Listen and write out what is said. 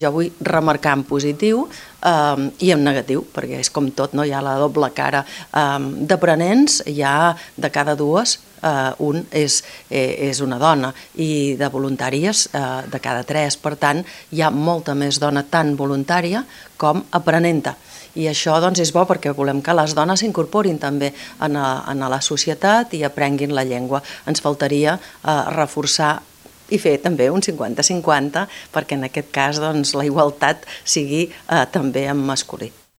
Jo vull remarcar en positiu i en negatiu, perquè és com tot, no? Hi ha la doble cara. D'aprenents, hi ha de cada dues, un és una dona, i de voluntàries, de cada tres. Per tant, hi ha molta més dona tant voluntària com aprenenta. I això doncs, és bo perquè volem que les dones s'incorporin també a la societat i aprenguin la llengua. Ens faltaria reforçar i fer també un 50-50 perquè en aquest cas doncs, la igualtat sigui també en masculí.